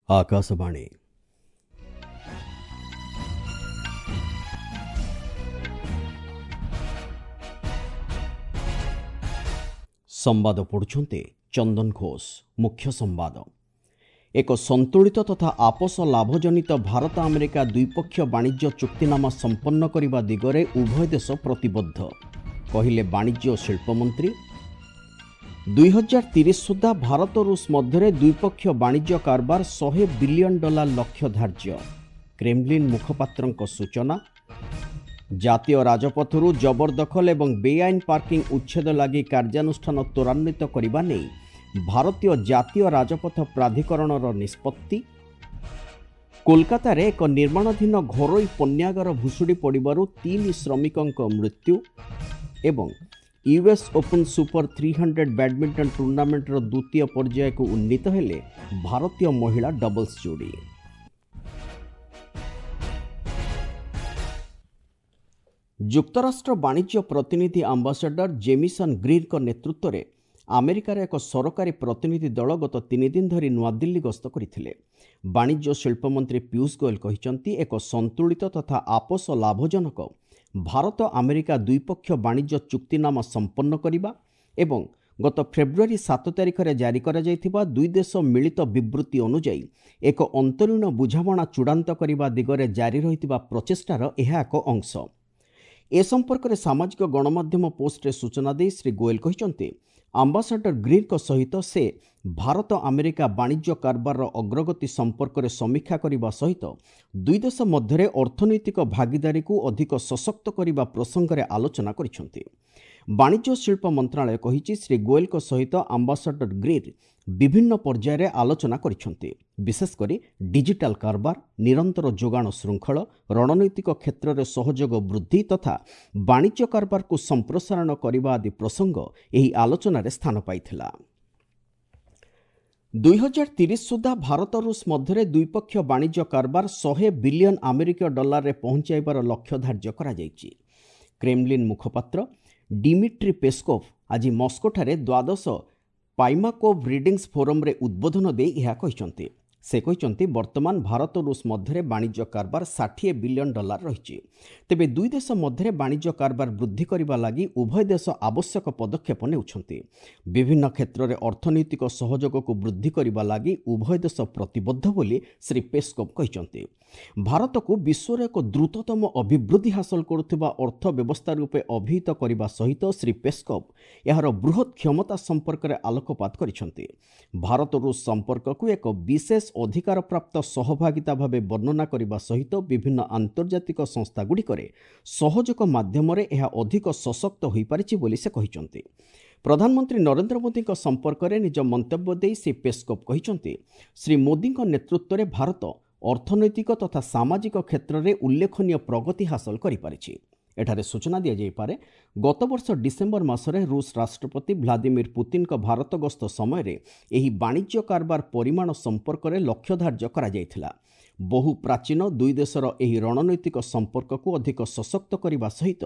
ଆକାଶବାଣୀ। ସମ୍ବାଦ ପଢ଼ୁଛନ୍ତି ଚନ୍ଦନ ଘୋଷ। ମୁଖ୍ୟ ସମ୍ବାଦ। ଏକ ସନ୍ତୁଳିତ ତଥା ଆପୋଷ ଲାଭଜନିତ ଭାରତ ଆମେରିକା ଦ୍ୱିପକ୍ଷୀୟ ବାଣିଜ୍ୟ ଚୁକ୍ତିନାମା ସମ୍ପନ୍ନ କରିବା ଦିଗରେ ଉଭୟ ଦେଶ ପ୍ରତିବଦ୍ଧ, କହିଲେ ବାଣିଜ୍ୟ ଓ ଶିଳ୍ପମନ୍ତ୍ରୀ। 2030 ସୁଦ୍ଧା ଭାରତ ରୁଷ ମଧ୍ୟରେ ଦ୍ୱିପକ୍ଷୀୟ ବାଣିଜ୍ୟ କାରବାର 100 ବିଲିୟନ ଡଲାର ଲକ୍ଷ୍ୟ ଧାର୍ଯ୍ୟ, କ୍ରେମଲିନ୍ ମୁଖପାତ୍ରଙ୍କ ସୂଚନା। ଜାତୀୟ ରାଜପଥରୁ ଜବରଦଖଲ ଏବଂ ବେଆଇନ ପାର୍କିଂ ଉଚ୍ଛେଦ ଲାଗି କାର୍ଯ୍ୟାନୁଷ୍ଠାନ ତ୍ୱରାନ୍ୱିତ କରିବା ନେଇ ଭାରତୀୟ ଜାତୀୟ ରାଜପଥ ପ୍ରାଧିକରଣର ନିଷ୍ପତ୍ତି। କୋଲକାତାରେ ଏକ ନିର୍ମାଣାଧୀନ ଘରୋଇ ପଣ୍ୟାଗାର ଭୁଶୁଡ଼ି ପଡ଼ିବାରୁ 3 ଶ୍ରମିକଙ୍କ ମୃତ୍ୟୁ ଏବଂ ୟୁଏସ୍ ଓପନ୍ ସୁପର 300 ବ୍ୟାଡମିଣ୍ଟନ ଟୁର୍ଣ୍ଣାମେଣ୍ଟର ଦ୍ୱିତୀୟ ପର୍ଯ୍ୟାୟକୁ ଉନ୍ନୀତ ହେଲେ ଭାରତୀୟ ମହିଳା ଡବଲ୍ସ ଯୋଡ଼ି। ଯୁକ୍ତରାଷ୍ଟ୍ର ବାଣିଜ୍ୟ ପ୍ରତିନିଧି ଆମ୍ବାସାଡର ଜେମିସନ୍ ଗ୍ରୀନ୍ଙ୍କ ନେତୃତ୍ୱରେ ଆମେରିକାର ଏକ ସରକାରୀ ପ୍ରତିନିଧି ଦଳ ଗତ 3 ଦିନ ଧରି ନୂଆଦିଲ୍ଲୀ ଗସ୍ତ କରିଥିଲେ। ବାଣିଜ୍ୟ ଶିଳ୍ପମନ୍ତ୍ରୀ ପୀୟୁଷ ଗୋଏଲ କହିଛନ୍ତି, ଏକ ସନ୍ତୁଳିତ ତଥା ଆପୋଷ ଲାଭଜନକ ଭାରତ ଆମେରିକା ଦ୍ୱିପକ୍ଷୀୟ ବାଣିଜ୍ୟ ଚୁକ୍ତିନାମା ସମ୍ପନ୍ନ କରିବା ଏବଂ ଗତ ଫେବୃଆରୀ 7 ତାରିଖରେ ଜାରି କରାଯାଇଥିବା ଦୁଇ ଦେଶ ମିଳିତ ବିବୃତ୍ତି ଅନୁଯାୟୀ ଏକ ଅନ୍ତରୀଣ ବୁଝାମଣା ଚୂଡ଼ାନ୍ତ କରିବା ଦିଗରେ ଜାରି ରହିଥିବା ପ୍ରଚେଷ୍ଟାର ଏହା ଏକ ଅଂଶ। ଏ ସମ୍ପର୍କରେ ସାମାଜିକ ଗଣମାଧ୍ୟମ ପୋଷ୍ଟରେ ସୂଚନା ଦେଇ ଶ୍ରୀ ଗୋଏଲ କହିଛନ୍ତି, ଆମ୍ବାସାଡର ଗ୍ରୀନ୍ଙ୍କ ସହିତ ସେ ଭାରତ ଆମେରିକା ବାଣିଜ୍ୟ କାରବାରର ଅଗ୍ରଗତି ସମ୍ପର୍କରେ ସମୀକ୍ଷା କରିବା ସହିତ ଦୁଇ ଦେଶ ମଧ୍ୟରେ ଅର୍ଥନୈତିକ ଭାଗିଦାରୀକୁ ଅଧିକ ସଶକ୍ତ କରିବା ପ୍ରସଙ୍ଗରେ ଆଲୋଚନା କରିଛନ୍ତି। ବାଣିଜ୍ୟ ଶିଳ୍ପ ମନ୍ତ୍ରଣାଳୟ କହିଛି, ଶ୍ରୀ ଗୋଏଲଙ୍କ ସହିତ ଆମ୍ବାସାଡର ଗ୍ରୀନ୍ ବିଭିନ୍ନ ପର୍ଯ୍ୟାୟରେ ଆଲୋଚନା କରିଛନ୍ତି। ବିଶେଷକରି ଡିଜିଟାଲ କାରବାର, ନିରନ୍ତର ଯୋଗାଣ ଶୃଙ୍ଖଳ, ରଣନୈତିକ କ୍ଷେତ୍ରରେ ସହଯୋଗ ବୃଦ୍ଧି ତଥା ବାଣିଜ୍ୟ କାରବାରକୁ ସମ୍ପ୍ରସାରଣ କରିବା ଆଦି ପ୍ରସଙ୍ଗ ଏହି ଆଲୋଚନାରେ ସ୍ଥାନ ପାଇଥିଲା। 2030 ସୁଦ୍ଧା ଭାରତ ରୁଷ ମଧ୍ୟରେ ଦ୍ୱିପକ୍ଷୀୟ ବାଣିଜ୍ୟ କାରବାର 100 ବିଲିୟନ ଆମେରିକୀୟ ଡଲାରରେ ପହଞ୍ଚାଇବାର ଲକ୍ଷ୍ୟ ଧାର୍ଯ୍ୟ କରାଯାଇଛି। କ୍ରେମଲିନ୍ ମୁଖପାତ୍ର ଡିମିଟ୍ରି ପେସ୍କୋଭ୍ ଆଜି ମସ୍କୋଠାରେ ଦ୍ୱାଦଶ ପାଇମାକୋଭ୍ ରିଡିଂସ୍ ଫୋରମ୍ରେ ଉଦ୍ବୋଧନ ଦେଇ ଏହା କହିଛନ୍ତି। ସେ କହିଛନ୍ତି, ବର୍ତ୍ତମାନ ଭାରତ ରୁଷ ମଧ୍ୟରେ ବାଣିଜ୍ୟ କାରବାର 60 ବିଲିୟନ ଡଲାର ରହିଛି। ତେବେ ଦୁଇ ଦେଶ ମଧ୍ୟରେ ବାଣିଜ୍ୟ କାରବାର ବୃଦ୍ଧି କରିବା ଲାଗି ଉଭୟ ଦେଶ ଆବଶ୍ୟକ ପଦକ୍ଷେପ ନେଉଛନ୍ତି। ବିଭିନ୍ନ କ୍ଷେତ୍ରରେ ଅର୍ଥନୈତିକ ସହଯୋଗକୁ ବୃଦ୍ଧି କରିବା ଲାଗି ଉଭୟ ଦେଶ ପ୍ରତିବଦ୍ଧ ବୋଲି ଶ୍ରୀ ପେସ୍କୋଭ୍ କହିଛନ୍ତି। ଭାରତକୁ ବିଶ୍ୱର ଏକ ଦ୍ରୁତତମ ଅଭିବୃଦ୍ଧି ହାସଲ କରୁଥିବା ଅର୍ଥ ବ୍ୟବସ୍ଥା ରୂପେ ଅଭିହିତ କରିବା ସହିତ ଶ୍ରୀ ପେସ୍କୋଭ୍ ଏହାର ବୃହତ୍ କ୍ଷମତା ସମ୍ପର୍କରେ ଆଲୋକପାତ କରିଛନ୍ତି। ଭାରତ ରୁଷ ସମ୍ପର୍କକୁ ଏକ ବିଶେଷ ଅଧିକାରପ୍ରାପ୍ତ ସହଭାଗିତା ଭାବେ ବର୍ଣ୍ଣନା କରିବା ସହିତ ବିଭିନ୍ନ ଆନ୍ତର୍ଜାତିକ ସଂସ୍ଥାଗୁଡ଼ିକରେ ସହଯୋଗ ମାଧ୍ୟମରେ ଏହା ଅଧିକ ସଶକ୍ତ ହୋଇପାରିଛି ବୋଲି ସେ କହିଛନ୍ତି। ପ୍ରଧାନମନ୍ତ୍ରୀ ନରେନ୍ଦ୍ର ମୋଦିଙ୍କ ସମ୍ପର୍କରେ ନିଜ ମନ୍ତବ୍ୟ ଦେଇ ଶ୍ରୀ ପେସ୍କୋଭ୍ କହିଛନ୍ତି, ଶ୍ରୀ ମୋଦିଙ୍କ ନେତୃତ୍ୱରେ ଭାରତ ଅର୍ଥନୈତିକ ତଥା ସାମାଜିକ କ୍ଷେତ୍ରରେ ଉଲ୍ଲେଖନୀୟ ପ୍ରଗତି ହାସଲ କରିପାରିଛି। ଏଠାରେ ସୂଚନା ଦିଆଯାଇପାରେ, ଗତବର୍ଷ ଡିସେମ୍ବର ମାସରେ ରୁଷ ରାଷ୍ଟ୍ରପତି ଭ୍ଲାଦିମିର ପୁତିନଙ୍କ ଭାରତ ଗସ୍ତ ସମୟରେ ଏହି ବାଣିଜ୍ୟ କାରବାର ପରିମାଣ ସମ୍ପର୍କରେ ଲକ୍ଷ୍ୟ ଧାର୍ଯ୍ୟ କରାଯାଇଥିଲା। ବହୁ ପ୍ରାଚୀନ ଦୁଇ ଦେଶର ଏହି ରଣନୈତିକ ସମ୍ପର୍କକୁ ଅଧିକ ସଶକ୍ତ କରିବା ସହିତ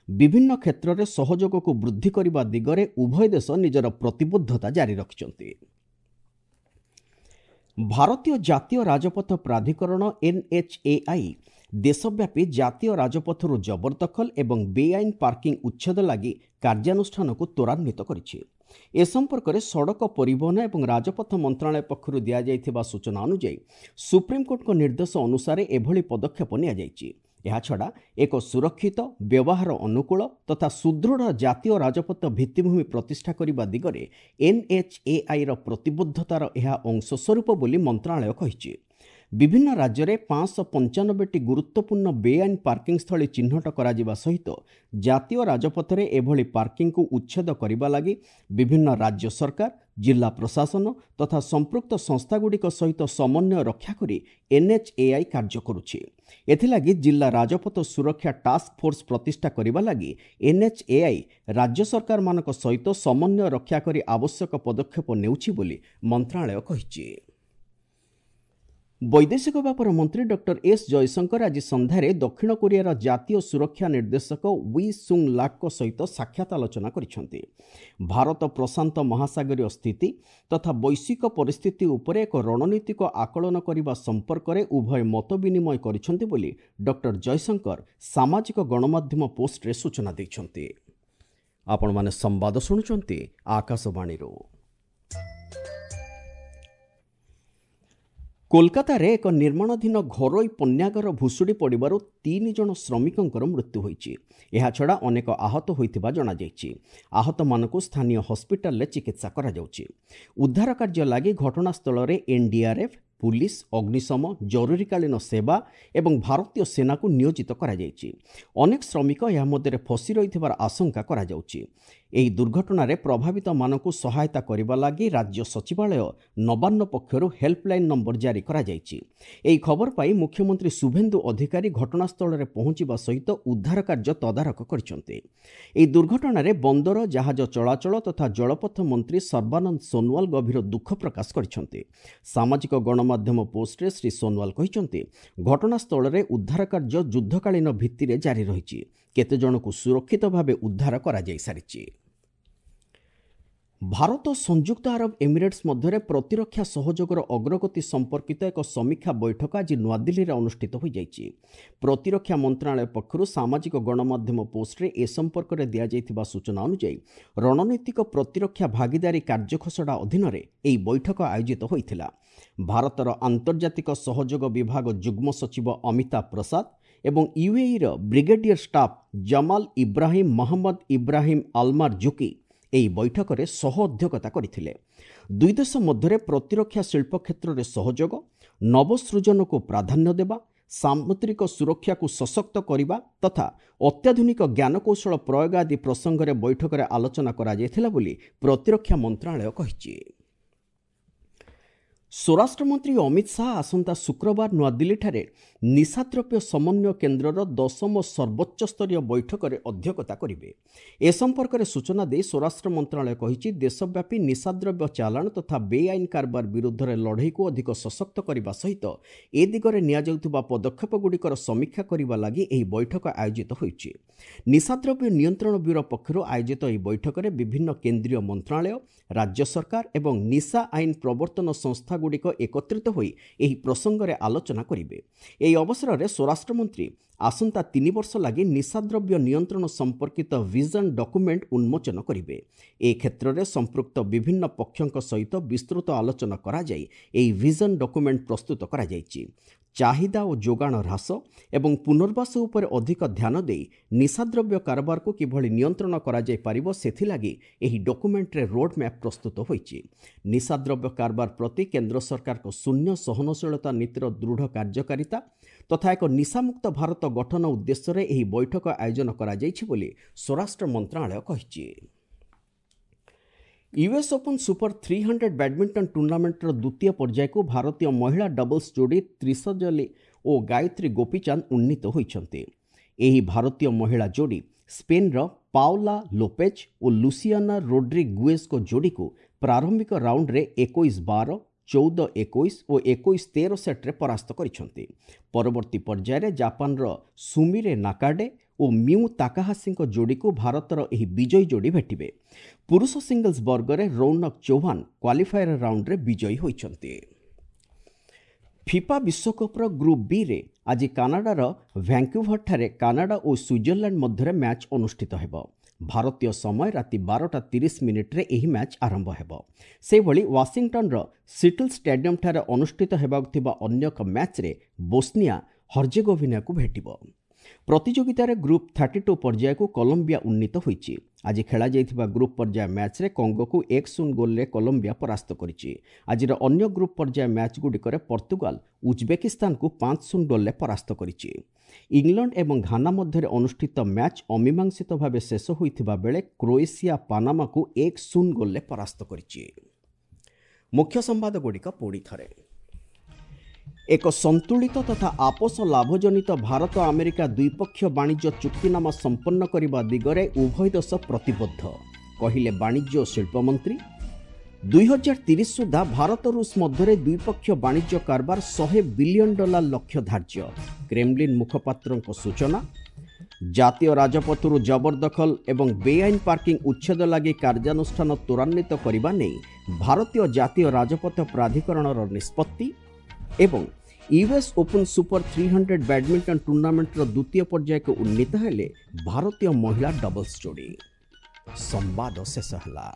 ବିଭିନ୍ନ କ୍ଷେତ୍ରରେ ସହଯୋଗକୁ ବୃଦ୍ଧି କରିବା ଦିଗରେ ଉଭୟ ଦେଶ ନିଜର ପ୍ରତିବଦ୍ଧତା ଜାରି ରଖିଛନ୍ତି। ଭାରତୀୟ ଜାତୀୟ ରାଜପଥ ପ୍ରାଧିକରଣ ଏନ୍ଏଚ୍ଏଆଇ ଦେଶବ୍ୟାପୀ ଜାତୀୟ ରାଜପଥରୁ ଜବରଦଖଲ ଏବଂ ବେଆଇନ ପାର୍କିଂ ଉଚ୍ଛେଦ ଲାଗି କାର୍ଯ୍ୟାନୁଷ୍ଠାନକୁ ତ୍ୱରାନ୍ୱିତ କରିଛି। ଏ ସମ୍ପର୍କରେ ସଡ଼କ ପରିବହନ ଏବଂ ରାଜପଥ ମନ୍ତ୍ରଣାଳୟ ପକ୍ଷରୁ ଦିଆଯାଇଥିବା ସୂଚନା ଅନୁଯାୟୀ ସୁପ୍ରିମକୋର୍ଟଙ୍କ ନିର୍ଦ୍ଦେଶ ଅନୁସାରେ ଏଭଳି ପଦକ୍ଷେପ ନିଆଯାଇଛି। ଏହାଛଡ଼ା ଏକ ସୁରକ୍ଷିତ, ବ୍ୟବହାର ଅନୁକୂଳ ତଥା ସୁଦୃଢ଼ ଜାତୀୟ ରାଜପଥ ଭିତ୍ତିଭୂମି ପ୍ରତିଷ୍ଠା କରିବା ଦିଗରେ ଏନ୍ଏଚ୍ଏଆଇର ପ୍ରତିବଦ୍ଧତାର ଏହା ଅଂଶସ୍ୱରୂପ ବୋଲି ମନ୍ତ୍ରଣାଳୟ କହିଛି। ବିଭିନ୍ନ ରାଜ୍ୟରେ 595ଟି ଗୁରୁତ୍ୱପୂର୍ଣ୍ଣ ବେଆଇନ ପାର୍କିଂ ସ୍ଥଳୀ ଚିହ୍ନଟ କରାଯିବା ସହିତ ଜାତୀୟ ରାଜପଥରେ ଏଭଳି ପାର୍କିଂକୁ ଉଚ୍ଛେଦ କରିବା ଲାଗି ବିଭିନ୍ନ ରାଜ୍ୟ ସରକାର, ଜିଲ୍ଲା ପ୍ରଶାସନ ତଥା ସମ୍ପୃକ୍ତ ସଂସ୍ଥାଗୁଡ଼ିକ ସହିତ ସମନ୍ୱୟ ରକ୍ଷା କରି ଏନ୍ଏଚ୍ଏଆଇ କାର୍ଯ୍ୟ କରୁଛି। ଏଥିଲାଗି ଜିଲ୍ଲା ରାଜପଥ ସୁରକ୍ଷା ଟାସ୍କ ଫୋର୍ସ ପ୍ରତିଷ୍ଠା କରିବା ଲାଗି ଏନ୍ଏଚ୍ଏଆଇ ରାଜ୍ୟ ସରକାରମାନଙ୍କ ସହିତ ସମନ୍ୱୟ ରକ୍ଷା କରି ଆବଶ୍ୟକ ପଦକ୍ଷେପ ନେଉଛି ବୋଲି ମନ୍ତ୍ରଣାଳୟ କହିଛି। ବୈଦେଶିକ ବ୍ୟାପାର ମନ୍ତ୍ରୀ ଡକ୍ଟର ଏସ୍ ଜୟଶଙ୍କର ଆଜି ସନ୍ଧ୍ୟାରେ ଦକ୍ଷିଣ କୋରିଆର ଜାତୀୟ ସୁରକ୍ଷା ନିର୍ଦ୍ଦେଶକ we ସୁଙ୍ଗ ଲାକ୍ଙ୍କ ସହିତ ସାକ୍ଷାତ ଆଲୋଚନା କରିଛନ୍ତି। ଭାରତ ପ୍ରଶାନ୍ତ ମହାସାଗରୀୟ ସ୍ଥିତି ତଥା ବୈଶ୍ୱିକ ପରିସ୍ଥିତି ଉପରେ ଏକ ରଣନୀତିକ ଆକଳନ କରିବା ସମ୍ପର୍କରେ ଉଭୟ ମତ ବିନିମୟ କରିଛନ୍ତି ବୋଲି ଡକ୍ଟର ଜୟଶଙ୍କର ସାମାଜିକ ଗଣମାଧ୍ୟମ ପୋଷ୍ଟରେ ସୂଚନା ଦେଇଛନ୍ତି। ଆପଣମାନେ ସମ୍ବାଦ ଶୁଣୁଛନ୍ତି ଆକାଶବାଣୀରୁ। କୋଲକାତାରେ ଏକ ନିର୍ମାଣାଧୀନ ଘରୋଇ ପଣ୍ୟାଗାର ଭୁଶୁଡ଼ି ପଡ଼ିବାରୁ 3 ଜଣ ଶ୍ରମିକଙ୍କର ମୃତ୍ୟୁ ହୋଇଛି। ଏହାଛଡ଼ା ଅନେକ ଆହତ ହୋଇଥିବା ଜଣାଯାଇଛି। ଆହତମାନଙ୍କୁ ସ୍ଥାନୀୟ ହସ୍ପିଟାଲରେ ଚିକିତ୍ସା କରାଯାଉଛି। ଉଦ୍ଧାର କାର୍ଯ୍ୟ ଲାଗି ଘଟଣାସ୍ଥଳରେ ଏନ୍ଡିଆର୍ଏଫ୍, ପୁଲିସ, ଅଗ୍ନିଶମ, ଜରୁରୀକାଳୀନ ସେବା ଏବଂ ଭାରତୀୟ ସେନାକୁ ନିୟୋଜିତ କରାଯାଇଛି। ଅନେକ ଶ୍ରମିକ ଏହା ମଧ୍ୟରେ ଫସି ରହିଥିବାର ଆଶଙ୍କା କରାଯାଉଛି। ଏହି ଦୁର୍ଘଟଣାରେ ପ୍ରଭାବିତମାନଙ୍କୁ ସହାୟତା କରିବା ଲାଗି ରାଜ୍ୟ ସଚିବାଳୟ ନବାନ୍ନ ପକ୍ଷରୁ ହେଲ୍ପଲାଇନ୍ ନମ୍ବର ଜାରି କରାଯାଇଛି। ଏହି ଖବର ପାଇ ମୁଖ୍ୟମନ୍ତ୍ରୀ ଶୁଭେନ୍ଦୁ ଅଧିକାରୀ ଘଟଣାସ୍ଥଳରେ ପହଞ୍ଚିବା ସହିତ ଉଦ୍ଧାର କାର୍ଯ୍ୟ ତଦାରଖ କରିଛନ୍ତି। ଏହି ଦୁର୍ଘଟଣାରେ ବନ୍ଦର, ଜାହାଜ ଚଳାଚଳ ତଥା ଜଳପଥ ମନ୍ତ୍ରୀ ସର୍ବାନନ୍ଦ ସୋନୱାଲ ଗଭୀର ଦୁଃଖ ପ୍ରକାଶ କରିଛନ୍ତି। ସାମାଜିକ ଗଣମାଧ୍ୟମ ପୋଷ୍ଟରେ ଶ୍ରୀ ସୋନୱାଲ କହିଛନ୍ତି, ଘଟଣାସ୍ଥଳରେ ଉଦ୍ଧାର କାର୍ଯ୍ୟ ଯୁଦ୍ଧକାଳୀନ ଭିତ୍ତିରେ ଜାରି ରହିଛି। କେତେଜଣଙ୍କୁ ସୁରକ୍ଷିତ ଭାବେ ଉଦ୍ଧାର କରାଯାଇସାରିଛି। ଭାରତ ସଂଯୁକ୍ତ ଆରବ ଏମିରେଟ୍ସ ମଧ୍ୟରେ ପ୍ରତିରକ୍ଷା ସହଯୋଗର ଅଗ୍ରଗତି ସମ୍ପର୍କିତ ଏକ ସମୀକ୍ଷା ବୈଠକ ଆଜି ନୂଆଦିଲ୍ଲୀରେ ଅନୁଷ୍ଠିତ ହୋଇଯାଇଛି। ପ୍ରତିରକ୍ଷା ମନ୍ତ୍ରଣାଳୟ ପକ୍ଷରୁ ସାମାଜିକ ଗଣମାଧ୍ୟମ ପୋଷ୍ଟରେ ଏ ସମ୍ପର୍କରେ ଦିଆଯାଇଥିବା ସୂଚନା ଅନୁଯାୟୀ ରଣନୀତିକ ପ୍ରତିରକ୍ଷା ଭାଗିଦାରୀ କାର୍ଯ୍ୟଖସଡ଼ା ଅଧୀନରେ ଏହି ବୈଠକ ଆୟୋଜିତ ହୋଇଥିଲା। ଭାରତର ଆନ୍ତର୍ଜାତିକ ସହଯୋଗ ବିଭାଗ ଯୁଗ୍ମ ସଚିବ ଅମିତାଭ ପ୍ରସାଦ ଏବଂ ୟୁଏଇର brigadier staff Jamal Ibrahim Mohammed Ibrahim Almarzooqi ଏହି ବୈଠକରେ ସହ ଅଧ୍ୟକ୍ଷତା କରିଥିଲେ। ଦୁଇ ଦେଶ ମଧ୍ୟରେ ପ୍ରତିରକ୍ଷା ଶିଳ୍ପ କ୍ଷେତ୍ରରେ ସହଯୋଗ, ନବସୃଜନକୁ ପ୍ରାଧାନ୍ୟ ଦେବା, ସାମୁଦ୍ରିକ ସୁରକ୍ଷାକୁ ସଶକ୍ତ କରିବା ତଥା ଅତ୍ୟାଧୁନିକ ଜ୍ଞାନକୌଶଳ ପ୍ରୟୋଗ ଆଦି ପ୍ରସଙ୍ଗରେ ବୈଠକରେ ଆଲୋଚନା କରାଯାଇଥିଲା ବୋଲି ପ୍ରତିରକ୍ଷା ମନ୍ତ୍ରଣାଳୟ କହିଛି। ସ୍ୱରାଷ୍ଟ୍ରମନ୍ତ୍ରୀ ଅମିତ ଶାହା ଆସନ୍ତା ଶୁକ୍ରବାର ନୂଆଦିଲ୍ଲୀଠାରେ ନିଶାଦ୍ରବ୍ୟ ସମନ୍ୱୟ କେନ୍ଦ୍ରର 10ମ ସର୍ବୋଚ୍ଚସ୍ତରୀୟ ବୈଠକରେ ଅଧ୍ୟକ୍ଷତା କରିବେ। ଏ ସମ୍ପର୍କରେ ସୂଚନା ଦେଇ ସ୍ୱରାଷ୍ଟ୍ର ମନ୍ତ୍ରଣାଳୟ କହିଛି, ଦେଶବ୍ୟାପୀ ନିଶାଦ୍ରବ୍ୟ ଚାଲାଣ ତଥା ବେଆଇନ କାରବାର ବିରୁଦ୍ଧରେ ଲଢ଼େଇକୁ ଅଧିକ ସଶକ୍ତ କରିବା ସହିତ ଏ ଦିଗରେ ନିଆଯାଉଥିବା ପଦକ୍ଷେପଗୁଡ଼ିକର ସମୀକ୍ଷା କରିବା ଲାଗି ଏହି ବୈଠକ ଆୟୋଜିତ ହୋଇଛି। ନିଶାଦ୍ରବ୍ୟ ନିୟନ୍ତ୍ରଣ ବ୍ୟୁରୋ ପକ୍ଷରୁ ଆୟୋଜିତ ଏହି ବୈଠକରେ ବିଭିନ୍ନ କେନ୍ଦ୍ରୀୟ ମନ୍ତ୍ରଣାଳୟ, ରାଜ୍ୟ ସରକାର ଏବଂ ନିଶା ଆଇନ ପ୍ରବର୍ତ୍ତନ ସଂସ୍ଥାଗୁଡ଼ିକ ଏକତ୍ରିତ ହୋଇ ଏହି ପ୍ରସଙ୍ଗରେ ଆଲୋଚନା କରିବେ। ଏହି ଅବସରରେ ସ୍ୱରାଷ୍ଟ୍ରମନ୍ତ୍ରୀ ଆସନ୍ତା 3 ବର୍ଷ ଲାଗି ନିଶାଦ୍ରବ୍ୟ ନିୟନ୍ତ୍ରଣ ସମ୍ପର୍କିତ ଭିଜନ ଡକୁମେଣ୍ଟ ଉନ୍ମୋଚନ କରିବେ। ଏ କ୍ଷେତ୍ରରେ ସମ୍ପୃକ୍ତ ବିଭିନ୍ନ ପକ୍ଷଙ୍କ ସହିତ ବିସ୍ତୃତ ଆଲୋଚନା କରାଯାଇ ଏହି ଭିଜନ ଡକୁମେଣ୍ଟ ପ୍ରସ୍ତୁତ କରାଯାଇଛି। ଚାହିଦା ଓ ଯୋଗାଣ ହ୍ରାସ ଏବଂ ପୁନର୍ବାସ ଉପରେ ଅଧିକ ଧ୍ୟାନ ଦେଇ ନିଶାଦ୍ରବ୍ୟ କାରବାରକୁ କିଭଳି ନିୟନ୍ତ୍ରଣ କରାଯାଇପାରିବ ସେଥିଲାଗି ଏହି ଡକୁମେଣ୍ଟରେ ରୋଡ୍ ମ୍ୟାପ୍ ପ୍ରସ୍ତୁତ ହୋଇଛି। ନିଶାଦ୍ରବ୍ୟ କାରବାର ପ୍ରତି କେନ୍ଦ୍ର ସରକାରଙ୍କ ଶୂନ୍ୟ ସହନଶୀଳତା ନୀତିର ଦୃଢ଼ କାର୍ଯ୍ୟକାରିତା ତଥା ଏକ ନିଶାମୁକ୍ତ ଭାରତ ଗଠନ ଉଦ୍ଦେଶ୍ୟରେ ଏହି ବୈଠକ ଆୟୋଜନ କରାଯାଇଛି ବୋଲି ସ୍ୱରାଷ୍ଟ୍ର ମନ୍ତ୍ରଣାଳୟ କହିଛି। ୟୁଏସ୍ ଓପନ୍ ସୁପର 300 ବ୍ୟାଡମିଣ୍ଟନ ଟୁର୍ଣ୍ଣାମେଣ୍ଟର ଦ୍ୱିତୀୟ ପର୍ଯ୍ୟାୟକୁ ଭାରତୀୟ ମହିଳା ଡବଲ୍ସ ଯୋଡ଼ି ତ୍ରିସଜଲି ଓ ଗାୟତ୍ରୀ ଗୋପୀଚାନ୍ଦ ଉନ୍ନୀତ ହୋଇଛନ୍ତି। ଏହି ଭାରତୀୟ ମହିଳା ଯୋଡ଼ି ସ୍ପେନ୍ର ପାଓଲା ଲୋପେଜ୍ ଓ ଲୁସିଆନା ରୋଡ୍ରିଗୁଏଜ୍ଙ୍କ ଯୋଡ଼ିକୁ ପ୍ରାରମ୍ଭିକ ରାଉଣ୍ଡରେ 21-12, 14-21 ଓ 21-13 ସେଟ୍ରେ ପରାସ୍ତ କରିଛନ୍ତି। ପରବର୍ତ୍ତୀ ପର୍ଯ୍ୟାୟରେ ଜାପାନର ସୁମିରେ ନାକାଡେ ଓ ମିଉ ତାକାହାସିଙ୍କ ଯୋଡ଼ିକୁ ଭାରତର ଏହି ବିଜୟୀ ଯୋଡ଼ି ଭେଟିବେ। ପୁରୁଷ ସିଙ୍ଗଲ୍ସ ବର୍ଗରେ ରୌନକ ଚୌହାନ କ୍ୱାଲିଫାୟର ରାଉଣ୍ଡରେ ବିଜୟୀ ହୋଇଛନ୍ତି। ଫିଫା ବିଶ୍ୱକପ୍ର ଗ୍ରୁପ୍ ବିରେ ଆଜି କାନାଡାର ଭ୍ୟାଙ୍କୁଭରଠାରେ କାନାଡା ଓ ସୁଇଜରଲ୍ୟାଣ୍ଡ ମଧ୍ୟରେ ମ୍ୟାଚ୍ ଅନୁଷ୍ଠିତ ହେବ। ଭାରତୀୟ ସମୟ ରାତି 12:30 ଏହି ମ୍ୟାଚ୍ ଆରମ୍ଭ ହେବ। ସେହିଭଳି ୱାଶିଂଟନର ସିଟଲ୍ ଷ୍ଟାଡିୟମଠାରେ ଅନୁଷ୍ଠିତ ହେବାକୁ ଥିବା ଅନ୍ୟ ଏକ ମ୍ୟାଚ୍ରେ ବୋସ୍ନିଆ ହର୍ଜେଗୋଭିନାକୁ ଭେଟିବ। ପ୍ରତିଯୋଗିତାରେ ଗ୍ରୁପ୍ 32 ପର୍ଯ୍ୟାୟକୁ କଲମ୍ବିଆ ଉନ୍ନୀତ ହୋଇଛି। ଆଜି ଖେଳାଯାଇଥିବା ଗ୍ରୁପ୍ ପର୍ଯ୍ୟାୟ ମ୍ୟାଚ୍ରେ କଙ୍ଗୋକୁ 1-0 ଗୋଲ୍ରେ କଲମ୍ବିଆ ପରାସ୍ତ କରିଛି। ଆଜିର ଅନ୍ୟ ଗ୍ରୁପ୍ ପର୍ଯ୍ୟାୟ ମ୍ୟାଚ୍ଗୁଡ଼ିକରେ ପର୍ତ୍ତୁଗାଲ ଉଜବେକିସ୍ତାନକୁ 5-0 ଗୋଲ୍ରେ ପରାସ୍ତ କରିଛି। ଇଂଲଣ୍ଡ ଏବଂ ଘାନା ମଧ୍ୟରେ ଅନୁଷ୍ଠିତ ମ୍ୟାଚ୍ ଅମୀମାଂସିତ ଭାବେ ଶେଷ ହୋଇଥିବା ବେଳେ କ୍ରୋଏସିଆ ପାନାମାକୁ 1-0 ଗୋଲ୍ରେ ପରାସ୍ତ କରିଛି। ମୁଖ୍ୟ ସମ୍ବାଦଗୁଡ଼ିକ ପୁଣି ଥରେ। ଏକ ସନ୍ତୁଳିତ ତଥା ଆପୋଷ ଲାଭଜନିତ ଭାରତ ଆମେରିକା ଦ୍ୱିପକ୍ଷୀୟ ବାଣିଜ୍ୟ ଚୁକ୍ତିନାମା ସମ୍ପନ୍ନ କରିବା ଦିଗରେ ଉଭୟ ଦେଶ ପ୍ରତିବଦ୍ଧ, କହିଲେ ବାଣିଜ୍ୟ ଓ ଶିଳ୍ପମନ୍ତ୍ରୀ। 2030 ସୁଦ୍ଧା ଭାରତ ରୁଷ ମଧ୍ୟରେ ଦ୍ୱିପକ୍ଷୀୟ ବାଣିଜ୍ୟ କାରବାର 100 ବିଲିୟନ ଡଲାର ଲକ୍ଷ୍ୟ ଧାର୍ଯ୍ୟ, କ୍ରେମଲିନ୍ ମୁଖପାତ୍ରଙ୍କ ସୂଚନା। ଜାତୀୟ ରାଜପଥରୁ ଜବରଦଖଲ ଏବଂ ବେଆଇନ ପାର୍କିଂ ଉଚ୍ଛେଦ ଲାଗି କାର୍ଯ୍ୟାନୁଷ୍ଠାନ ତ୍ୱରାନ୍ୱିତ କରିବା ନେଇ ଭାରତୀୟ ଜାତୀୟ ରାଜପଥ ପ୍ରାଧିକରଣର ନିଷ୍ପତ୍ତି। ଏବଂ ୟୁଏସ୍ ଓପନ୍ ସୁପର 300 ବ୍ୟାଡମିଣ୍ଟନ ଟୁର୍ଣ୍ଣାମେଣ୍ଟର ଦ୍ୱିତୀୟ ପର୍ଯ୍ୟାୟକୁ ଉନ୍ନୀତ ହେଲେ ଭାରତୀୟ ମହିଳା ଡବଲ୍ସ ଯୋଡ଼ି। ସମ୍ବାଦ ଶେଷ ହେଲା।